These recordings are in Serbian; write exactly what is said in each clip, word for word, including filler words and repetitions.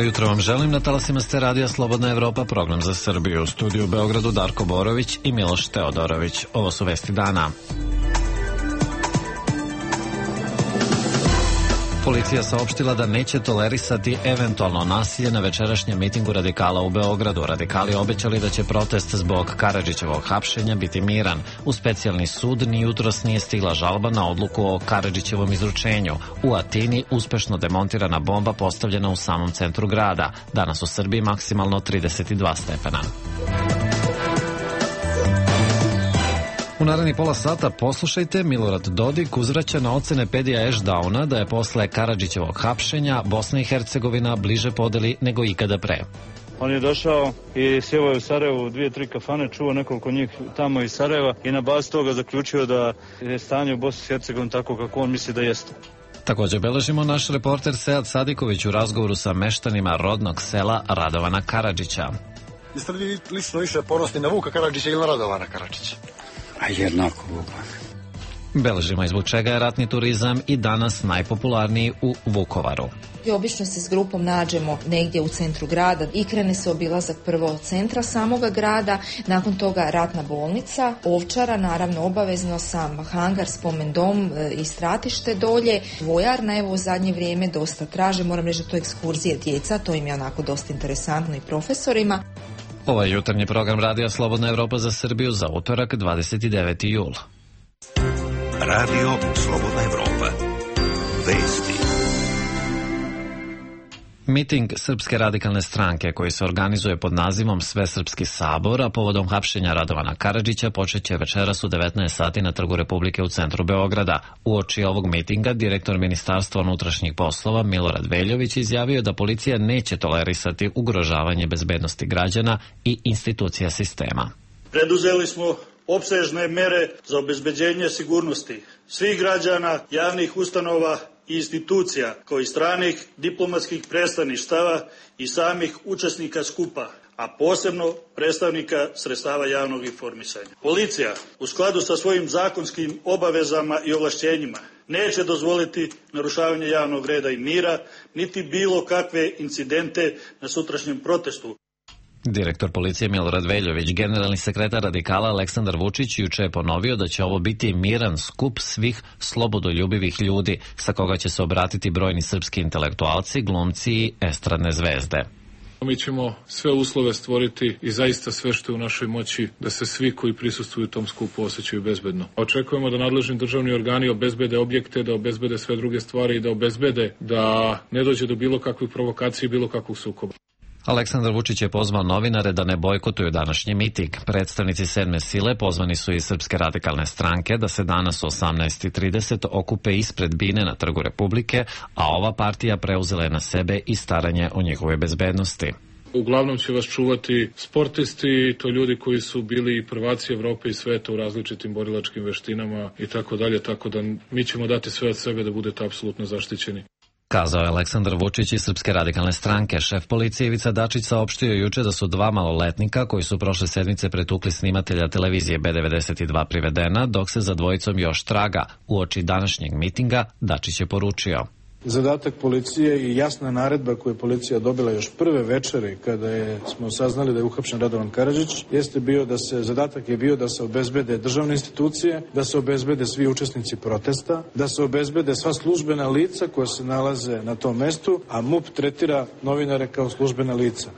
jutro vam želim, na talasima ste radija Slobodna Evropa, program za Srbiju. U studiju u Beogradu Darko Borović i Miloš Teodorović. Ovo su vesti dana. Policija saopštila da neće tolerisati eventualno nasilje na večerašnjem mitingu radikala u Beogradu. Radikali obećali da će protest zbog Karadžićevog hapšenja biti miran. U specijalni sud ni jutros nije stigla žalba na odluku o Karadžićevom izručenju. U Atini uspešno demontirana bomba postavljena u samom centru grada. Danas u Srbiji maksimalno trideset dva stepena. U narednih pola sata poslušajte, Milorad Dodik uzvraća na ocene Pedija Ešdauna da je posle Karadžićevog hapšenja Bosna i Hercegovina bliže podeli nego ikada pre. On je došao i sjevao je u Sarajevu dvije, tri kafane, čuo nekoliko njih tamo iz Sarajeva i na bazi toga zaključio da je stanje u Bosni i Hercegovini tako kako on misli da jeste. Također beležimo naš reporter Sead Sadiković u razgovoru sa meštanima rodnog sela Radovana Karadžića. Jeste li lično više ponosni na Vuka Karadžića ili na Radovana Karadžića? A jednako Vuka. Beležimo i zbog čega je ratni turizam i danas najpopularniji u Vukovaru. I obično se s grupom nađemo negdje u centru grada i krene se obilazak prvo od centra samoga grada, nakon toga ratna bolnica, Ovčara, naravno obavezno sam hangar, spomen dom i stratište dolje, vojarna, evo u zadnje vrijeme dosta traže, moram reći da to ekskurzije djeca, to im je onako dosta interesantno i profesorima. Ovo je jutarnji program Radija Slobodna Evropa za Srbiju za utorak dvadeset deveti jul. Radio Slobodna Evropa. Vesti. Miting Srpske radikalne stranke koji se organizuje pod nazivom Svesrpski sabor, a povodom hapšenja Radovana Karadžića počeće večeras u devetnaest sati na Trgu Republike u centru Beograda. Uoči ovog mitinga direktor Ministarstva unutrašnjih poslova Milorad Veljović izjavio da policija neće tolerisati ugrožavanje bezbednosti građana i institucija sistema. Preduzeli smo opsežne mere za obezbeđenje sigurnosti svih građana, javnih ustanova i institucija, kao i stranih diplomatskih predstavništava i samih učesnika skupa, a posebno predstavnika sredstava javnog informisanja. Policija, u skladu sa svojim zakonskim obavezama i ovlašćenjima, neće dozvoliti narušavanje javnog reda i mira, niti bilo kakve incidente na sutrašnjem protestu. Direktor policije Milorad Veljović, generalni sekretar radikala Aleksandar Vučić juče je ponovio da će ovo biti miran skup svih slobodoljubivih ljudi, sa koga će se obratiti brojni srpski intelektualci, glumci i estradne zvezde. Mi ćemo sve uslove stvoriti i zaista sve što je u našoj moći da se svi koji prisustvuju tom skupu osjećaju bezbedno. Očekujemo da nadležni državni organi obezbede objekte, da obezbede sve druge stvari i da obezbede da ne dođe do bilo kakvih provokacija i bilo kakvog sukoba. Aleksandar Vučić je pozvao novinare da ne bojkotuju današnji miting. Predstavnici sedme sile pozvani su iz Srpske radikalne stranke da se danas u osamnaest i trideset okupe ispred bine na Trgu Republike, a ova partija preuzela je na sebe i staranje o njihovoj bezbednosti. Uglavnom će vas čuvati sportisti, to ljudi koji su bili prvaci Evrope i sveta u različitim borilačkim veštinama i tako dalje, tako da mi ćemo dati sve od sebe da budete apsolutno zaštićeni. Kazao je Aleksandar Vučić iz Srpske radikalne stranke. Šef policije Ivica Dačić saopštio juče da su dva maloletnika koji su prošle sedmice pretukli snimatelja televizije B devedeset dva privedena, dok se za dvojicom još traga. Uoči današnjeg mitinga Dačić je poručio: Zadatak policije i jasna naredba koju je policija dobila još prve večere kada je, smo saznali da je uhapšen Radovan Karadžić, jeste bio da se, zadatak je bio da se obezbede državne institucije, da se obezbede svi učesnici protesta, da se obezbede sva službena lica koja se nalaze na tom mestu, a M U P tretira novinare kao službena lica.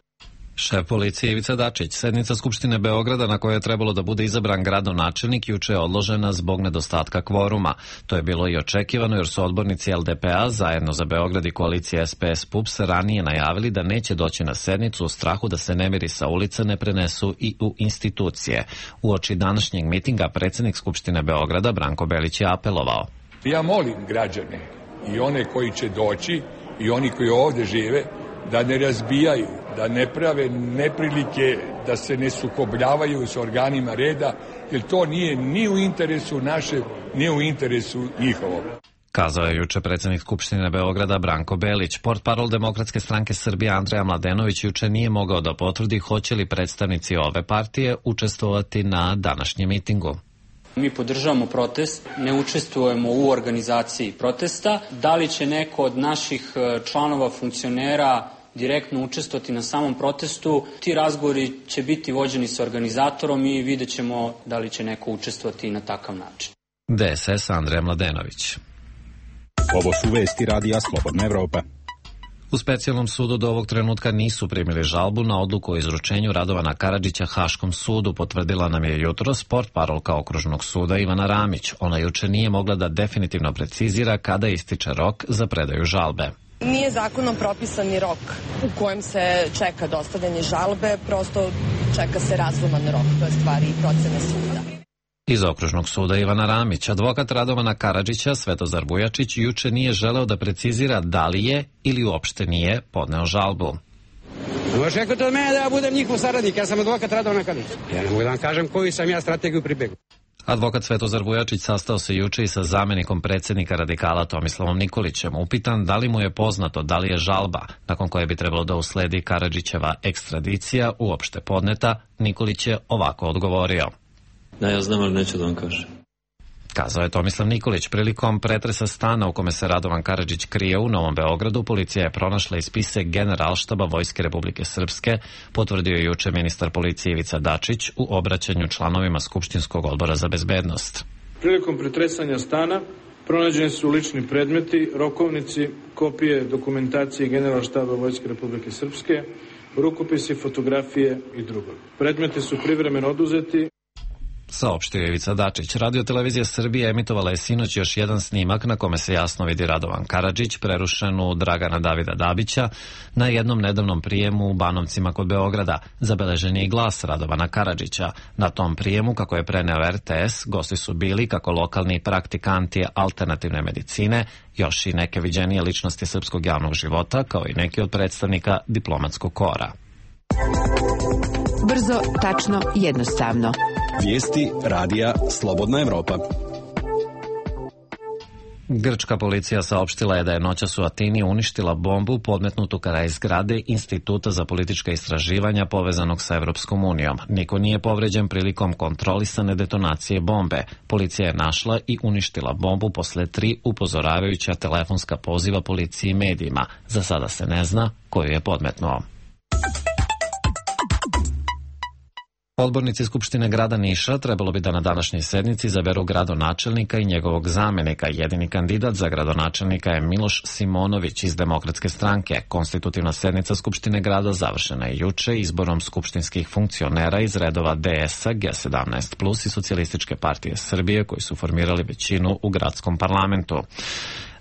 Šef policije Ivica Dačić. Sednica Skupštine Beograda na kojoj je trebalo da bude izabran gradonačelnik juče je odložena zbog nedostatka kvoruma. To je bilo i očekivano jer su odbornici L D P A zajedno za Beograd i koalicije S P S P U P S ranije najavili da neće doći na sednicu u strahu da se nemiri sa ulica ne prenesu i u institucije. Uoči današnjeg mitinga predsjednik Skupštine Beograda Branko Belić je apelovao: Ja molim građane i one koji će doći i oni koji ovdje žive da ne razbijaju, da ne prave neprilike, da se ne sukobljavaju s organima reda, jer to nije ni u interesu naše, ni u interesu njihovog. Kazao je juče predsjednik Skupštine Beograda Branko Belić. Portparol Demokratske stranke Srbije Andreja Mladenović juče nije mogao da potvrdi hoće li predstavnici ove partije učestvovati na današnjem mitingu. Mi podržavamo protest, ne učestvujemo u organizaciji protesta. Da li će neko od naših članova funkcionera direktno učestvovati na samom protestu. Ti razgovori će biti vođeni sa organizatorom i vidjet ćemo da li će neko učestvovati na takav način. D S S Andreja Mladenović. Ovo su vesti radija Slobodna Evropa. U specijalnom sudu do ovog trenutka nisu primili žalbu na odluku o izručenju Radovana Karadžića Haškom sudu, potvrdila nam je jutro portparolka Okružnog suda Ivana Ramić. Ona juče nije mogla da definitivno precizira kada ističe rok za predaju žalbe. Nije zakonom propisani rok u kojem se čeka dostavljanje žalbe, prosto čeka se razuman rok, to je stvari i procene suda. Iz Okružnog suda Ivana Ramić, advokat Radovana Karadžića Svetozar Vujačić juče nije želeo da precizira da li je ili uopšte nije podneo žalbu. Očekujte od mene da ja budem njihov saradnik, ja sam advokat Radovana Karadžića. Ja ne mogu da vam kažem koju sam ja strategiju pribegao. Advokat Svetozar Vujačić sastao se juče i sa zamenikom predsjednika radikala Tomislavom Nikolićem. Upitan da li mu je poznato da li je žalba, nakon koje bi trebalo da usledi Karadžićeva ekstradicija, uopšte podneta, Nikolić je ovako odgovorio. Da, ja znam, ali neću da vam kažem. Kazao je Tomislav Nikolić. Prilikom pretresa stana u kome se Radovan Karadžić krije u Novom Beogradu, policija je pronašla i spise Generalštaba Vojske Republike Srpske, potvrdio je juče ministar policije Ivica Dačić u obraćanju članovima Skupštinskog odbora za bezbednost. Prilikom pretresanja stana pronađeni su lični predmeti, rokovnici, kopije dokumentacije Generalštaba Vojske Republike Srpske, rukopisi, fotografije i drugo. Predmeti su privremeno oduzeti. Saopštio je Ivica Dačić. Radio-televizija Srbije emitovala je sinoć još jedan snimak na kome se jasno vidi Radovan Karadžić, prerušen u Dragana Davida Dabića, na jednom nedavnom prijemu u Banovcima kod Beograda. Zabeležen je i glas Radovana Karadžića. Na tom prijemu, kako je preneo R T S, gosti su bili kako lokalni praktikanti alternativne medicine, još i neke viđenije ličnosti srpskog javnog života, kao i neki od predstavnika diplomatskog kora. Brzo, tačno, jednostavno. Vijesti radija Slobodna Evropa. Grčka policija saopštila je da je noćas u Atini uništila bombu podmetnutu kraj zgrade Instituta za politička istraživanja povezanog sa Evropskom unijom. Niko nije povređen prilikom kontrolisane detonacije bombe. Policija je našla i uništila bombu posle tri upozoravajuća telefonska poziva policiji i medijima. Za sada se ne zna koju je podmetnuo. Odbornici Skupštine grada Niša trebalo bi da na današnjoj sednici izaberu gradonačelnika i njegovog zamenika. Jedini kandidat za gradonačelnika je Miloš Simonović iz Demokratske stranke. Konstitutivna sednica Skupštine grada završena je juče izborom skupštinskih funkcionera iz redova D S-a, G sedamnaest plus i Socijalističke partije Srbije koji su formirali većinu u gradskom parlamentu.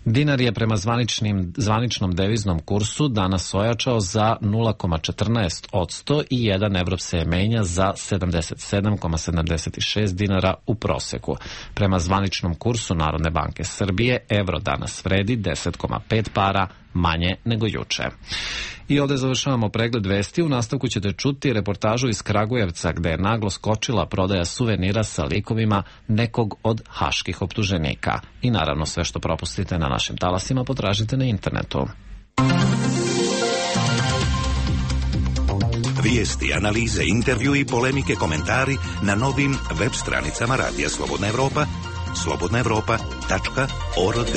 Dinar je prema zvaničnim, zvaničnom deviznom kursu danas ojačao za nula zarez četrnaest posto i jedan evro se menja za sedamdeset sedam zarez sedamdeset šest dinara u proseku. Prema zvaničnom kursu Narodne banke Srbije evro danas vredi deset zarez pet para manje nego juče. I ovdje završavamo pregled vesti. U nastavku ćete čuti reportažu iz Kragujevca gde je naglo skočila prodaja suvenira sa likovima nekog od haških optuženika. I naravno sve što propustite na našim talasima potražite na internetu. Vijesti, analize, intervju i polemike, komentari na novim web stranicama Radija Slobodna Evropa, slobodna evropa tačka org.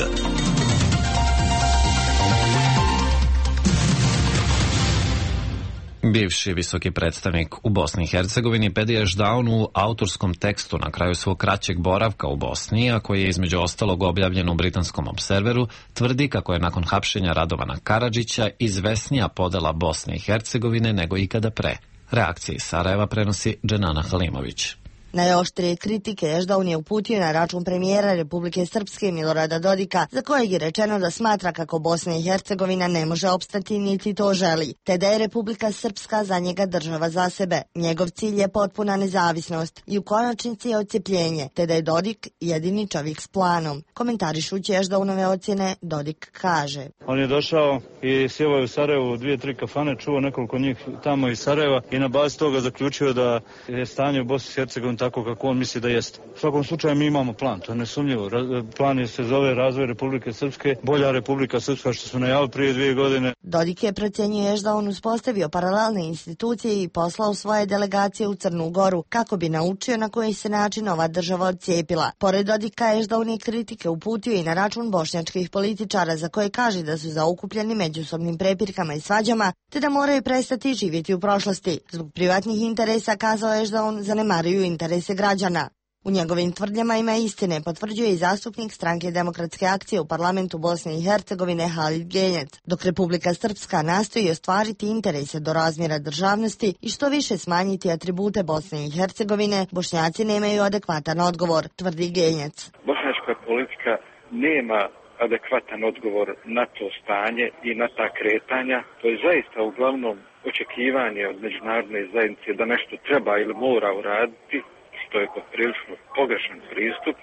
Bivši visoki predstavnik u Bosni i Hercegovini Pedija Ždaun u autorskom tekstu na kraju svog kraćeg boravka u Bosni, a koji je između ostalog objavljen u britanskom Observeru, tvrdi kako je nakon hapšenja Radovana Karadžića izvesnija podela Bosne i Hercegovine nego ikada pre. Reakcije iz Sarajeva prenosi Dženana Halimović. Najoštrije kritike Ždaun je uputio na račun premijera Republike Srpske Milorada Dodika, za kojeg je rečeno da smatra kako Bosna i Hercegovina ne može opstati niti to želi, te da je Republika Srpska za njega država za sebe. Njegov cilj je potpuna nezavisnost i u konačnici je odcepljenje, te da je Dodik jedini čovjek s planom. Komentarišući Ždaunove ocjene, Dodik kaže: On je došao i sjevao je u Sarajevu dvije, tri kafane, čuo nekoliko njih tamo iz Sarajeva i na bazi toga zaključio da je stanje u Bosni i Hercegovini tako kako on misli da jeste. U svakom slučaju mi imamo plan, to je nesumnjivo. Plan se zove Razvoj Republike Srpske, bolja Republika Srpska što smo najavili prije dvije godine. Dodik je procjenjuješ da on uspostavio paralelne institucije i poslao svoje delegacije u Crnu Goru kako bi naučio na koji se način ova država odcijepila. Pored Dodika je da on je kritike uputio i na račun bošnjačkih političara za koje kaže da su zaokupljeni međusobnim prepirkama i svađama te da moraju prestati živjeti u prošlosti. Zbog privatnih interesa kazao je da on zanemaruju interese građana. U njegovim tvrdnjama ima istine, potvrđuje i zastupnik Stranke demokratske akcije u parlamentu Bosne i Hercegovine Halid Genjec, dok Republika Srpska nastoji ostvariti interese do razmjera državnosti i što više smanjiti atribute Bosne i Hercegovine, Bošnjaci nemaju adekvatan odgovor, tvrdi Genjec. Bošnjačka politika nema adekvatan odgovor na to stanje i na ta kretanja. To je zaista uglavnom očekivanje od međunarodne zajednice da nešto treba ili mora uraditi, što je poprilično pogrešan pristup.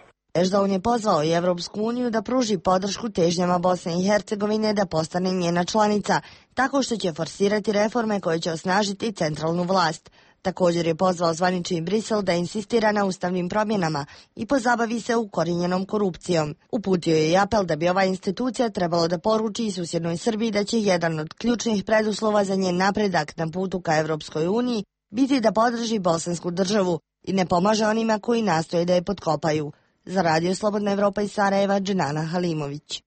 Ešdaun je pozvao i Evropsku uniju da pruži podršku težnjama Bosne i Hercegovine da postane njena članica, tako što će forsirati reforme koje će osnažiti centralnu vlast. Također je pozvao zvanični Brisel da insistira na ustavnim promjenama i pozabavi se ukorijenjenom korupcijom. Uputio je i apel da bi ova institucija trebalo da poruči i susjednoj Srbiji da će jedan od ključnih preduslova za njen napredak na putu ka Evropskoj uniji biti da podrži bosansku državu i ne pomaže onima koji nastoje da je potkopaju. Za Radio Slobodna Evropa iz Sarajeva, Dženana Halimović.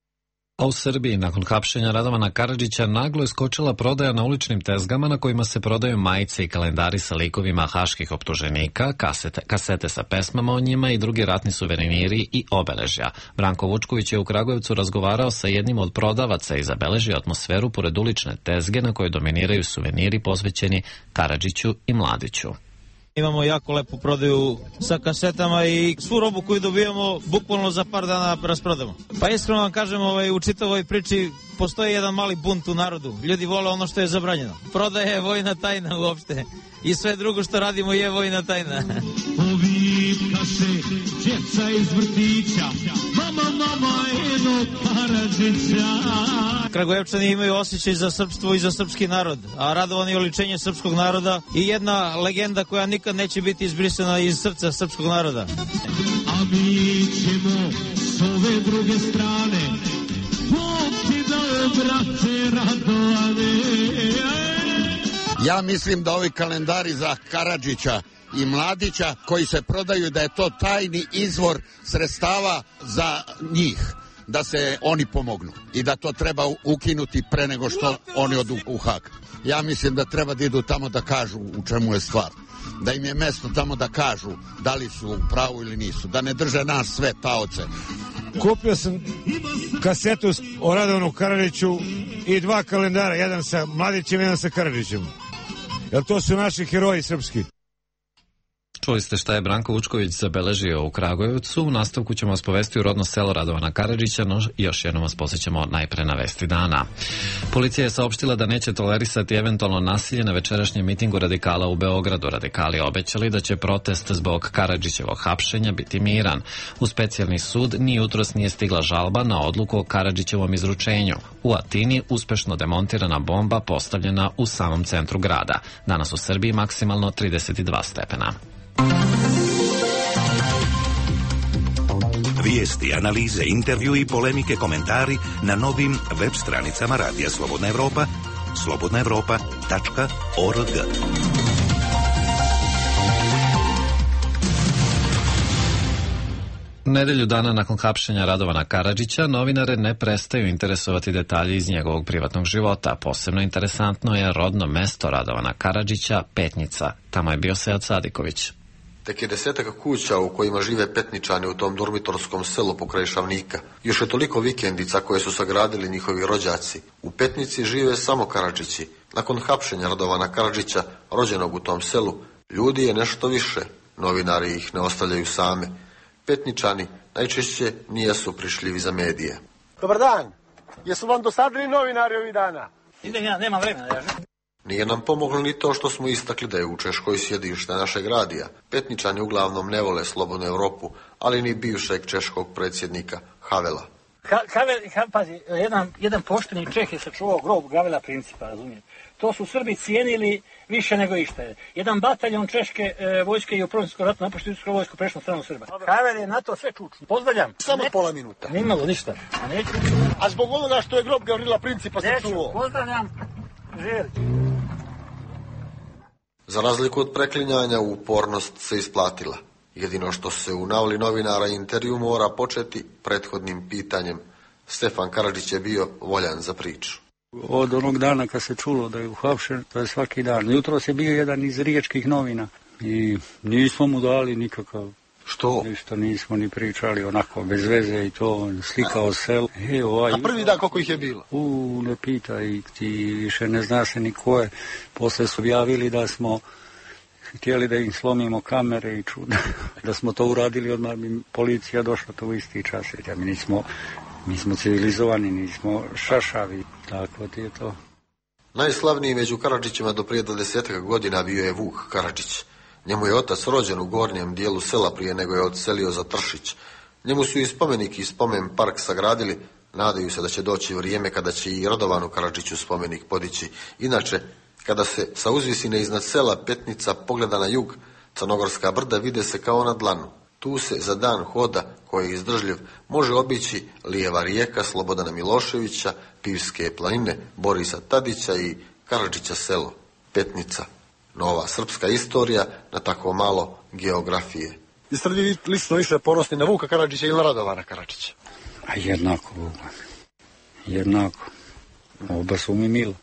A u Srbiji, nakon hapšenja Radovana Karadžića, naglo je skočila prodaja na uličnim tezgama na kojima se prodaju majice i kalendari sa likovima haških optuženika, kasete, kasete sa pesmama o njima i drugi ratni suveniri i obeležja. Branko Vučković je u Kragujevcu razgovarao sa jednim od prodavaca i zabeležio atmosferu pored ulične tezge na kojoj dominiraju suveniri posvećeni Karadžiću i Mladiću. Imamo jako lepu prodaju sa kasetama i svu robu koju dobijamo bukvalno za par dana rasprodamo. Pa iskreno vam kažem, ovaj, u čitavoj priči postoji jedan mali bunt u narodu. Ljudi vole ono što je zabranjeno. Prodaje je vojna tajna uopšte. I sve drugo što radimo je vojna tajna. Povika se djeca iz vrtića, mama, mama, eno Karadžića. Kragujevčani imaju osjećaj za srpstvo i za srpski narod, a Radovan je oličenje srpskog naroda i jedna legenda koja nikad neće biti izbrisana iz srca srpskog naroda. A mi ćemo s ove druge strane, Bog ti dao, brate Radovane. Ja mislim da ovi kalendari za Karadžića i Mladića koji se prodaju, da je to tajni izvor sredstava za njih, da se oni pomognu i da to treba ukinuti pre nego što oni odu u Hag. Ja mislim da treba da idu tamo da kažu u čemu je stvar, da im je mesto tamo da kažu da li su u pravu ili nisu, da ne drže nas sve taoce. Kupio sam kasetu o Radovanu Karadžiću i dva kalendara, jedan sa Mladićem, jedan sa Karadžićem. Jer to su naši heroji srpski. Čuli ste šta je Branko Vučković zabeležio u Kragujevcu. U nastavku ćemo vas povesti u rodno selo Radovana Karadžića, no još jednom vas posjećamo najpre na vesti dana. Policija je saopštila da neće tolerisati eventualno nasilje na večerašnjem mitingu radikala u Beogradu. Radikali obećali da će protest zbog Karadžićevog hapšenja biti miran. U specijalni sud ni jutros nije stigla žalba na odluku o Karadžićevom izručenju. U Atini uspešno demontirana bomba postavljena u samom centru grada. Danas u Srbiji maksimalno trideset dva stepena. Vijesti, analize, intervju i polemike, komentari na novim web stranicama Radija Slobodna Evropa, slobodna evropa tačka org. Nedelju dana nakon hapšenja Radovana Karadžića, novinare ne prestaju interesovati detalji iz njegovog privatnog života. Posebno interesantno je rodno mesto Radovana Karadžića, Petnica. Tamo je bio Sead Sadiković. Tek je desetaka kuća u kojima žive Petničani u tom dormitorskom selu pokraj Šavnika. Još je toliko vikendica koje su sagradili njihovi rođaci. U Petnici žive samo Karadžići. Nakon hapšenja Radovana Karadžića, rođenog u tom selu, ljudi je nešto više. Novinari ih ne ostavljaju same. Petničani najčešće nijesu prišljivi za medije. Dobar dan. Jesu vam dosadili novinari ovih dana? Idem ja, nema vremena. Ja. Nije nam pomoglo ni to što smo istakli da je u Češkoj sjedište našeg radija. Petničani uglavnom ne vole Slobodnu Evropu, ali ni bivšeg češkog predsjednika Havela. Ha, Havel, ha, pazi, jedan, jedan pošteni Čeh je sačuvao grob Gavela Principa, razumijem. To su Srbi cijenili više nego išta je. Jedan bataljon češke e, vojske i u Prvom svjetskom ratu napuštio Srpsku vojsku prešlo na stranu Srba. Havel je na to sve čučno. Pozdravljam. Samo ne, pola minuta. Nimalo ništa. A neću. A zbog onoga što je grob Gavrila Principa se čuo. Pozdravljam. Živjeli. Za razliku od preklinjanja, upornost se isplatila. Jedino što se u navali novinara intervju mora početi prethodnim pitanjem. Stefan Karadžić je bio voljan za priču. Od onog dana kad se čulo da je uhapšen, to je svaki dan. Jutro se bio jedan iz riječkih novina i nismo mu dali nikakav... Što? Ništa nismo ni pričali, onako bez veze i to, slikao sel. E, ovaj, A prvi dan koliko ih je bilo? U, ne pitaj, ti više ne zna se ni ko je. Posle su objavili da smo htjeli da im slomimo kamere i čuda. Da smo to uradili, odmah bi policija došla to u isti čas. Ja, mi nismo... Mi smo civilizovani, nismo šašavi, tako ti je to. Najslavniji među Karadžićima do prije dvadesetak godina bio je Vuk Karadžić. Njemu je otac rođen u gornjem dijelu sela prije nego je odselio za Tršić. Njemu su i spomenik i spomen park sagradili, nadaju se da će doći vrijeme kada će i Radovanu Karadžiću spomenik podići. Inače, kada se sa uzvisine iznad sela Petnica pogleda na jug, Crnogorska brda vide se kao na dlanu. Tu se za dan hoda, koji je izdržljiv, može obići Lijeva rijeka Slobodana Miloševića, Pivske planine, Borisa Tadića i Karadžića selo, Petnica. Nova srpska istorija na tako malo geografije. Jeste li vi lično više ponosni na Vuka Karadžića ili na Radovana Karadžića? A jednako, Vuka. Jednako. Oba su mi milo.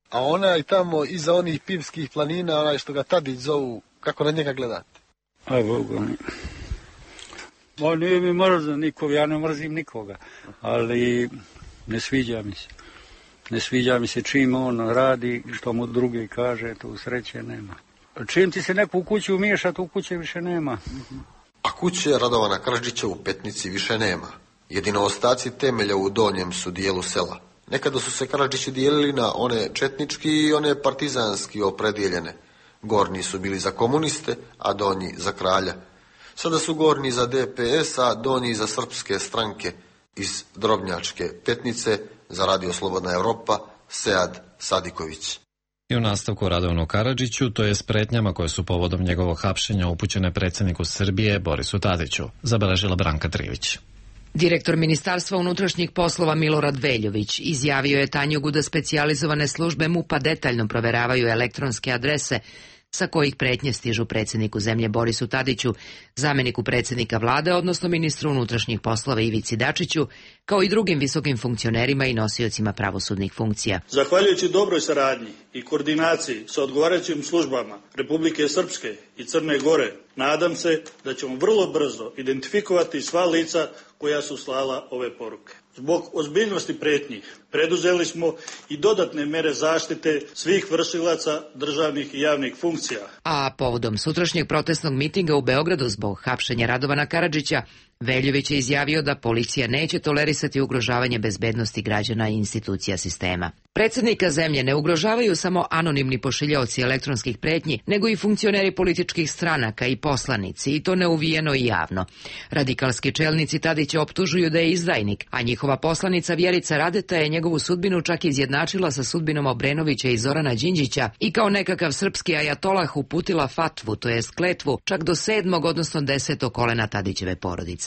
A onaj tamo iza onih Pivskih planina, onaj što ga Tadić zovu, kako na njega gledate? A Boga mi... Ma nije mi mrzan nikog, ja ne mrzim nikoga, ali ne sviđa mi se. Ne sviđa mi se čim on radi, što mu drugi kaže, tu sreće nema. Čim ti se neko u kući umiješa, tu kuće više nema. A kuće Radovana Karadžića u Petnici više nema. Jedino ostaci temelja u donjem su dijelu sela. Nekada su se Karadžići dijelili na one četnički i one partizanski opredijeljene. Gornji su bili za komuniste, a donji za kralja. Sada su gornji za D P S, a donji za srpske stranke. Iz Drobnjačke Petnice za Radio Slobodna Evropa, Sead Sadiković. I u nastavku Radovanu Karadžiću, to je s pretnjama koje su povodom njegovog hapšenja upućene predsjedniku Srbije Borisu Tadiću, zabeležila Branka Trivić. Direktor Ministarstva unutrašnjih poslova Milorad Veljović izjavio je Tanjugu da specijalizovane službe M U P-a detaljno proveravaju elektronske adrese sa kojih pretnje stižu predsjedniku zemlje Borisu Tadiću, zamjeniku predsjednika vlade, odnosno ministru unutrašnjih poslova Ivici Dačiću, kao i drugim visokim funkcionerima i nosiocima pravosudnih funkcija. Zahvaljujući dobroj saradnji i koordinaciji sa odgovarajućim službama Republike Srpske i Crne Gore, nadam se da ćemo vrlo brzo identifikovati sva lica koja su slala ove poruke. Zbog ozbiljnosti pretnji preduzeli smo i dodatne mere zaštite svih vršilaca državnih i javnih funkcija. A povodom sutrašnjeg protestnog mitinga u Beogradu zbog hapšenja Radovana Karadžića, Veljović je izjavio da policija neće tolerisati ugrožavanje bezbednosti građana i institucija sistema. Predsjednika zemlje ne ugrožavaju samo anonimni pošiljaoci elektronskih pretnji, nego i funkcioneri političkih stranaka i poslanici, i to neuvijeno i javno. Radikalski čelnici Tadića optužuju da je izdajnik, a njihova poslanica Vjerica Radeta je njegovu sudbinu čak izjednačila sa sudbinom Obrenovića i Zorana Đinđića i kao nekakav srpski ajatolah uputila fatvu, to jest kletvu, čak do sedmog, odnosno desetog kolena Tadićeve porodice.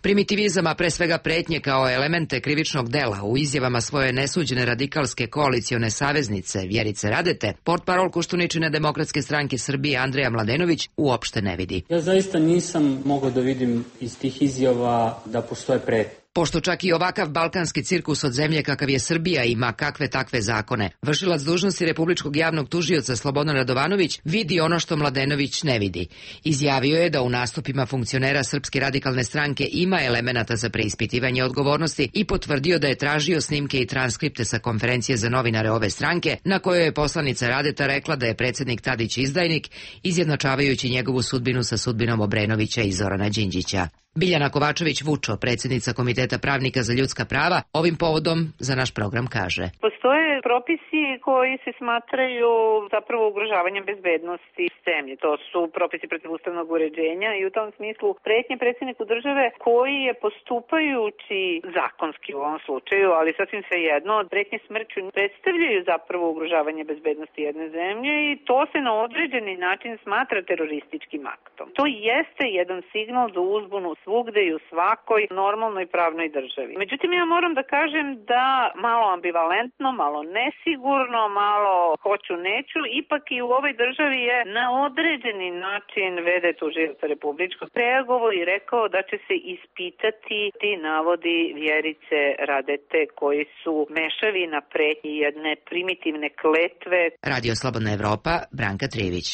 Primitivizam, a pre svega pretnje kao elemente krivičnog dela u izjavama svoje nesuđene radikalske koalicione saveznice Vjerice Radete, portparol Koštuničine Demokratske stranke Srbije Andreja Mladenović uopšte ne vidi. Ja zaista nisam mogao da vidim iz tih izjava da postoje pretnje. Pošto čak i ovakav balkanski cirkus od zemlje kakav je Srbija ima kakve takve zakone, vršilac dužnosti Republičkog javnog tužioca Slobodan Radovanović vidi ono što Mladenović ne vidi. Izjavio je da u nastupima funkcionera Srpske radikalne stranke ima elemenata za preispitivanje odgovornosti i potvrdio da je tražio snimke i transkripte sa konferencije za novinare ove stranke, na kojoj je poslanica Radeta rekla da je predsjednik Tadić izdajnik, izjednačavajući njegovu sudbinu sa sudbinom Obrenovića i Zorana Đinđića. Biljana Kovačević-Vučo, predsjednica Komiteta pravnika za ljudska prava, ovim povodom za naš program kaže. Postoje propisi koji se smatraju zapravo ugrožavanjem bezbednosti zemlje. To su propisi protiv ustavnog uređenja i u tom smislu pretnje predsjedniku države koji je postupajući zakonski u ovom slučaju, ali sasvim svejedno, pretnje smrću predstavljaju zapravo ugrožavanje bezbednosti jedne zemlje i to se na određeni način smatra terorističkim aktom. To jeste jedan signal za uzbunu svugde i u svakoj normalnoj pravnoj državi. Međutim, ja moram da kažem da malo ambivalentno, malo nesigurno, malo hoću neću, ipak i u ovoj državi je na određeni način vede tužilac republičkog reagovao i rekao da će se ispitati ti navodi Vjerice Radete koji su mešavi na pretnji jedne primitivne kletve. Radio Slobodna Evropa, Branka Trijević.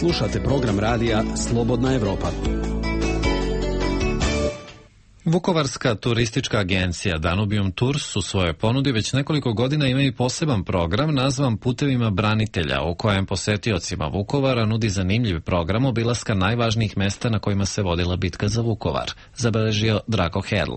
Slušate program radija Slobodna Evropa. Vukovarska turistička agencija Danubium Tours u svojoj ponudi već nekoliko godina ima i poseban program nazvan Putevima branitelja, u kojem posetiocima Vukovara nudi zanimljiv program obilaska najvažnijih mesta na kojima se vodila bitka za Vukovar, zabeležio Drako Herl.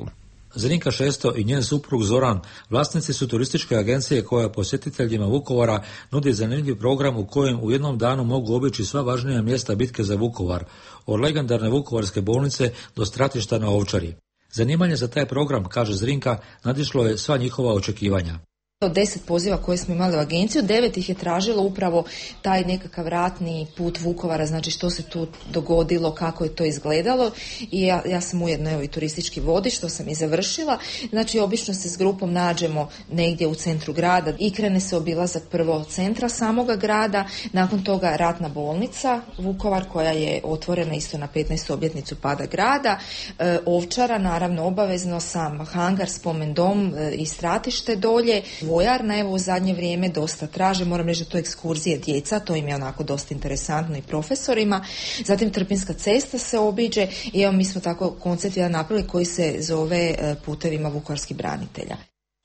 Zrinka Šesto i njen suprug Zoran vlasnici su turističke agencije koja posjetiteljima Vukovara nudi zanimljiv program u kojem u jednom danu mogu obići sva važnija mjesta bitke za Vukovar, od legendarne Vukovarske bolnice do stratišta na Ovčari. Zanimanje za taj program, kaže Zrinka, nadišlo je sva njihova očekivanja. Od deset poziva koje smo imali u agenciju, devet ih je tražilo upravo taj nekakav ratni put Vukovara, znači što se tu dogodilo, kako je to izgledalo i ja, ja sam ujedno evo i turistički vodič, što sam i završila. Znači obično se s grupom nađemo negdje u centru grada i krene se obilazak prvo centra samoga grada, nakon toga ratna bolnica Vukovar koja je otvorena isto na petnaestu obljetnicu pada grada, e, Ovčara naravno obavezno, sam hangar, spomen dom e, i stratište dolje, vojarna, evo u zadnje vrijeme dosta traže, moram reći da to ekskurzije djeca, to im je onako dosta interesantno i profesorima. Zatim Trpinjska cesta se obiđe i evo mi smo tako koncept jedan napravili koji se zove Putevima vukovarskih branitelja.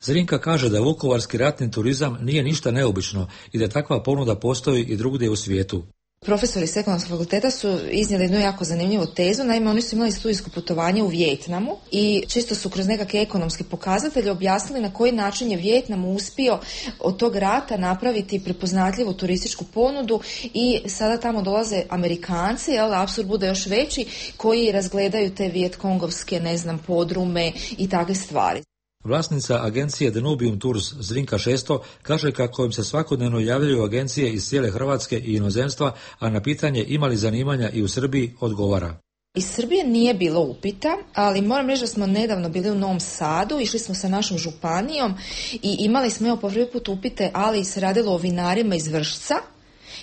Zrinka kaže da vukovarski ratni turizam nije ništa neobično i da takva ponuda postoji i drugdje u svijetu. Profesori s Ekonomskog fakulteta su iznijeli jednu jako zanimljivu tezu, naime oni su imali studijsko putovanje u Vijetnamu i čisto su kroz nekakve ekonomske pokazatelje objasnili na koji način je Vijetnam uspio od tog rata napraviti prepoznatljivu turističku ponudu i sada tamo dolaze Amerikanci, jel, apsurd bude još veći, koji razgledaju te vijetkongovske, ne znam, podrume i takve stvari. Vlasnica agencije Danubium Tours Zrinka Šesto kaže kako im se svakodnevno javljaju agencije iz cijele Hrvatske i inozemstva, a na pitanje ima li zanimanja i u Srbiji odgovara. Iz Srbije nije bilo upita, ali moram reći da smo nedavno bili u Novom Sadu, išli smo sa našom županijom i imali smo evo po prvi put upite, ali se radilo o vinarima iz Vršca,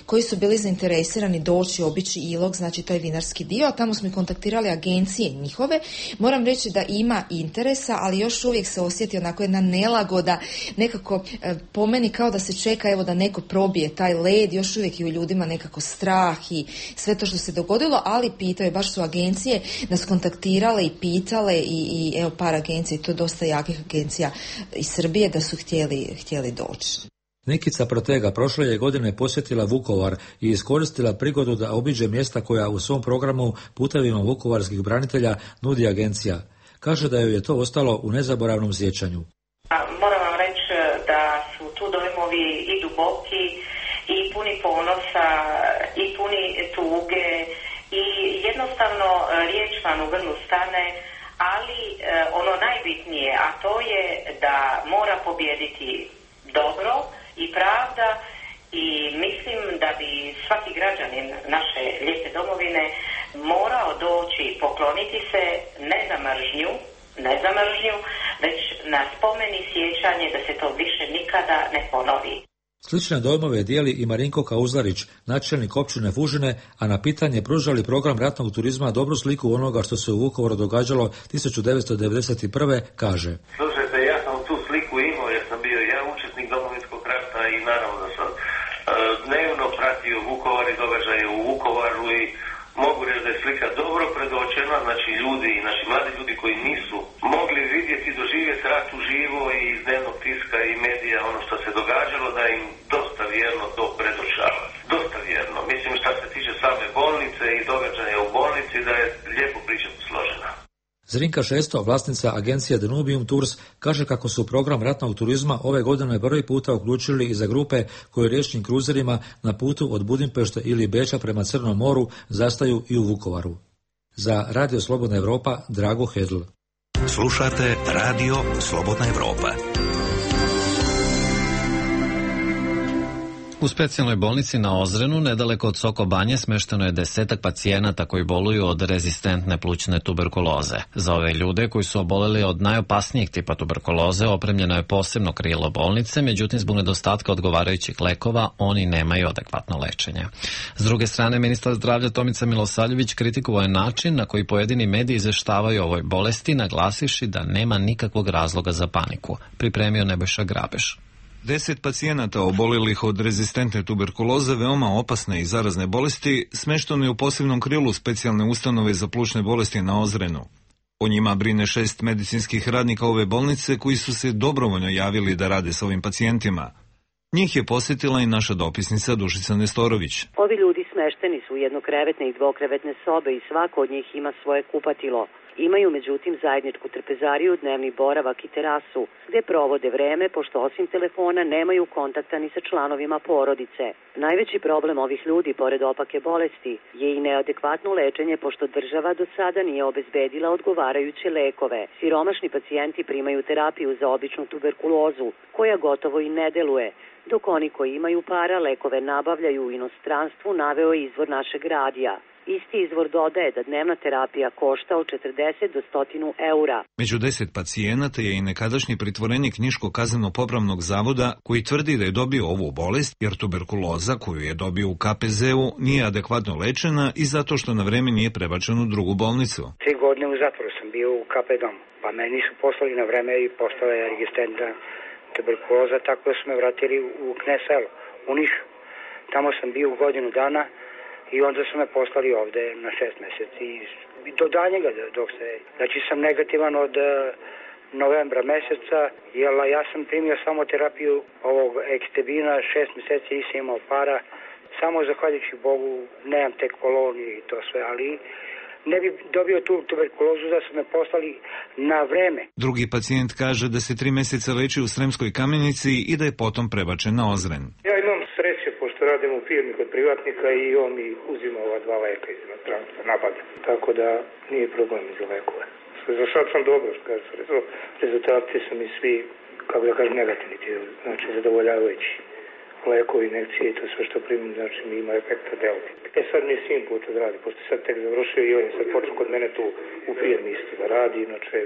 koji su bili zainteresirani doći, obići Ilok, znači taj vinarski dio, a tamo smo i kontaktirali agencije njihove. Moram reći da ima interesa, ali još uvijek se osjeti onako jedna nelagoda, nekako e, po meni kao da se čeka evo da neko probije taj led, još uvijek i u ljudima nekako strah i sve to što se dogodilo, ali pitaju, baš su agencije nas kontaktirale i pitale i, i evo par agencija, to dosta jakih agencija iz Srbije da su htjeli, htjeli doći. Nikica Protega prošle je godine posjetila Vukovar i iskoristila prigodu da obiđe mjesta koja u svom programu Putevima vukovarskih branitelja nudi agencija. Kaže da joj je to ostalo u nezaboravnom sjećanju. Moram vam reći da su tu dojmovi i duboki i puni ponosa i puni tuge i jednostavno riječ vam u grlu stane, ali ono najbitnije, a to je da mora pobijediti dobro i pravda i mislim da bi svaki građanin naše lijepe domovine morao doći pokloniti se ne za mržnju, ne za mržnju, već na spomeni sjećanje da se to više nikada ne ponovi. Slične dojmove dijeli i Marinko Kauzlarić, načelnik općine Fužine, a na pitanje pružali program ratnog turizma dobru sliku onoga što se u Vukovaru događalo tisuću devetsto devedeset prve. kaže. Slušajte, ja sam tu sliku imao jer sam bio ja učesnik Domovinskog rata i naravno da sam uh, dnevno pratio Vukovar i događaje u Vukovaru i mogu reći da je slika dobro predočena, znači ljudi, naši mladi ljudi koji nisu mogli vidjeti i doživjeti rat uživo i iz dnevnog tiska i medija ono što se događalo, da im dosta vjerno to predočava. Dosta vjerno. Mislim šta se tiče same bolnice i događaja u bolnici da je lijepo priča posložena. Zrinka Šesto, vlasnica agencije Danubium Tours, kaže kako su program ratnog turizma ove godine prvi puta uključili i za grupe koje riječnim kruzerima na putu od Budimpešte ili Beča prema Crnom moru zastaju i u Vukovaru. Za Radio Slobodna Evropa, Drago Hedl. Slušate Radio Slobodna Evropa. U specijalnoj bolnici na Ozrenu, nedaleko od Soko Banje, smešteno je desetak pacijenata koji boluju od rezistentne plućne tuberkuloze. Za ove ljude koji su oboleli od najopasnijeg tipa tuberkuloze opremljeno je posebno krilo bolnice, međutim zbog nedostatka odgovarajućih lekova oni nemaju adekvatno lečenje. S druge strane, ministar zdravlja Tomica Milosavljević kritikovao je način na koji pojedini mediji izveštavaju o ovoj bolesti, naglasivši da nema nikakvog razloga za paniku. Pripremio Nebojša Grabeš. Deset pacijenata obolelih od rezistentne tuberkuloze, veoma opasne i zarazne bolesti, smešteno je u posebnom krilu specijalne ustanove za plućne bolesti na Ozrenu. O njima brine šest medicinskih radnika ove bolnice koji su se dobrovoljno javili da rade sa ovim pacijentima. Njih je posjetila i naša dopisnica Dušica Nestorović. Ovi ljudi smešteni su u jednokrevetne i dvokrevetne sobe i svako od njih ima svoje kupatilo. Imaju međutim zajedničku trpezariju, dnevni boravak i terasu, gde provode vreme, pošto osim telefona nemaju kontakta ni sa članovima porodice. Najveći problem ovih ljudi, pored opake bolesti, je i neadekvatno lečenje, pošto država do sada nije obezbedila odgovarajuće lekove. Siromašni pacijenti primaju terapiju za običnu tuberkulozu, koja gotovo i ne deluje, dok oni koji imaju para lekove nabavljaju u inostranstvu, naveo je izvor našeg radija. Isti izvor dodaje da dnevna terapija košta od četrdeset do sto eura. Među deset pacijenata je i nekadašnji pritvorenik Niško-kazneno-popravnog zavoda koji tvrdi da je dobio ovu bolest jer tuberkuloza koju je dobio u K P Z-u nije adekvatno lečena i zato što na vreme nije prebačen u drugu bolnicu. Tri godine u zatvoru sam bio u K P domu, pa me nisu poslali na vreme i postala je rezistentna tuberkuloza, tako da su me vratili u Kneselo, u Nišu. Tamo sam bio godinu dana i onda su me poslali ovde na šest meseci i do danjega dok se... Znači sam negativan od uh, novembra meseca, jer ja sam primio samo terapiju ovog ekstebina, šest meseci nisam imao para, samo zahvaljujući Bogu nemam tek koloniju i to sve, ali ne bi dobio tu tuberkulozu da su me poslali na vreme. Drugi pacijent kaže da se tri meseca leči u Sremskoj Kamenici i da je potom prebačen na Ozren. Ja imam sreće, pošto radim u firmi kod privatnika i on mi uzima ova dva leka iz inostranstva, nabavlja. Tako da nije problem za lekove. Za sad sam dobro, što kaže, rezultati su mi svi, kako da kažem, negativni, znači zadovoljavajući. Lekovi, injekcije i to sve što primim, znači mi ima efekta delta. E sad mi je sin put da radi, pošto sad tek završio i on je sad počeo kod mene tu u firmi isto da radi, inače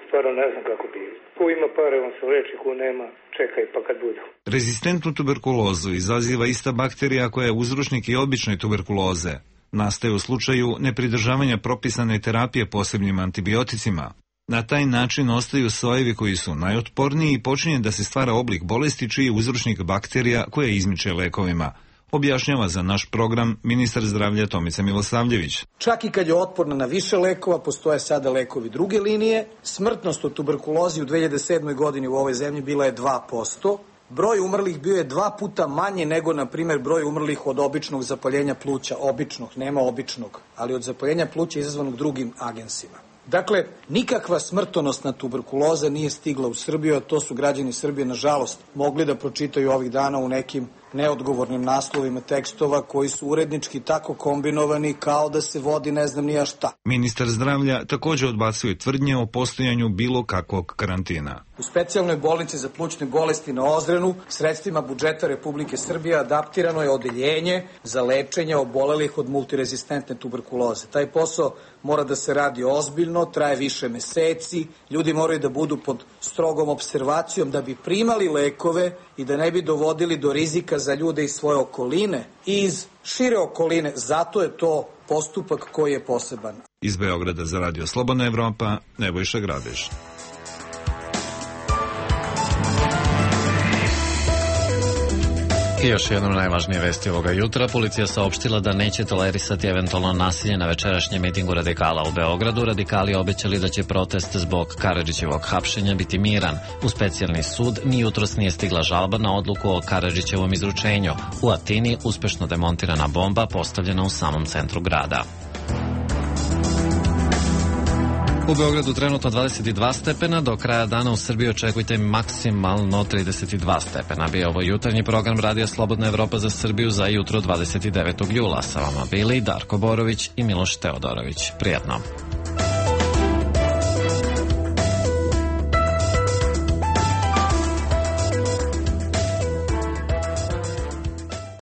stvarno ne znam kako bi. Ko ima pare, on se leči, ko nema, čekaj pa kad budu. Rezistentnu tuberkulozu izaziva ista bakterija koja je uzročnik i obične tuberkuloze. Nastaje u slučaju nepridržavanja propisane terapije posebnim antibioticima. Na taj način ostaju sojevi koji su najotporniji i počinje da se stvara oblik bolesti čiji je uzročnik bakterija koja izmiče lekovima. Objašnjava za naš program ministar zdravlja Tomica Milosavljević. Čak i kad je otporna na više lekova, postoje sada lekovi druge linije. Smrtnost od tuberkulozi u dve hiljade sedmoj godini u ovoj zemlji bila je dva posto. Broj umrlih bio je dva puta manje nego, na primjer, broj umrlih od običnog zapaljenja pluća. Običnog, nema običnog, ali od zapaljenja pluća izazvanog drugim agensima. Dakle, nikakva smrtonosna tuberkuloza nije stigla u Srbiju, a to su građani Srbije, nažalost, mogli da pročitaju ovih dana u nekim neodgovornim naslovima tekstova koji su urednički tako kombinovani kao da se vodi ne znam nija šta. Ministar zdravlja također odbacuje tvrdnje o postojanju bilo kakvog karantina. U specijalnoj bolnici za plućne bolesti na Ozrenu sredstvima budžeta Republike Srbije adaptirano je odeljenje za lečenje obolelih od multirezistentne tuberkuloze. Taj posao mora da se radi ozbiljno, traje više meseci, ljudi moraju da budu pod strogom observacijom da bi primali lekove i da ne bi dovodili do rizika za ljude iz svoje okoline i iz šire okoline. Zato je to postupak koji je poseban. Iz Beograda za Radio Slobodna Evropa, Nebojša Grabeš. I još jednom najvažnije vesti ovoga jutra. Policija saopštila da neće tolerisati eventualno nasilje na večerašnjem mitingu radikala u Beogradu. Radikali obećali da će protest zbog Karadžićevog hapšenja biti miran. U specijalni sud ni jutros nije stigla žalba na odluku o Karadžićevom izručenju. U Atini uspešno demontirana bomba postavljena u samom centru grada. U Beogradu trenutno dvadeset dva stepena, do kraja dana u Srbiji očekujte maksimalno trideset dva stepena. Bio ovo jutarnji program Radija Slobodna Evropa za Srbiju za jutro dvadeset devetog jula. Sa vama bili Darko Borović i Miloš Teodorović. Prijatno.